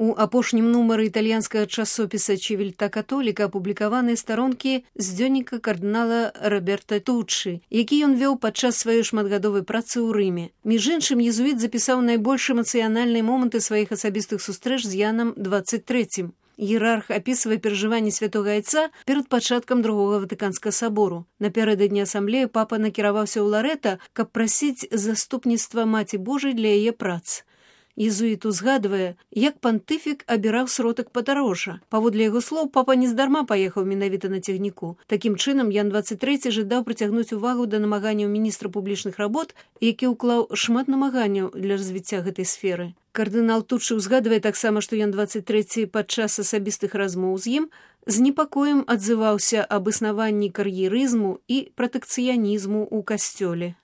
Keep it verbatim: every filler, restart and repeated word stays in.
У апошнім нумары італьянскага часопіса «Чивільта католіка» апублікаваныя старонкі з дзённіка кардынала Роберта Туччы, які ён вёў падчас сваёй шматгадовай працы ў Рыме. Між іншым, езуіт запісаў найбольш эмацыянальныя моманты сваіх асабістых сустрэч з Янам дваццаць трэцім. Іерарх апісвае перажыванні святога айца перад пачаткам другога Ватыканскага сабору. Напярэдадні асамблеі папа накіраваўся ў Ларэта, каб прасіць заступніцтва Маці Божай для яе прац. Езуіт узгадвае, як пантыфік абіраў сродак падарожжа. Паводле яго слоў, папа нездарма паехаў менавіта на цягніку. Такім чынам, Ян дваццаць трэці жадаў прыцягнуць увагу да намаганняў міністра публічных работ, які ўклаў шмат намаганняў для развіцця гэтай сферы. Кардынал Туччы ўзгадвае таксама, што Ян дваццаць трэці падчас асабістых размоў з ім з непакоем адзываўся аб існаванні кар'ерызму і пратэкцыянізму ў касцёле.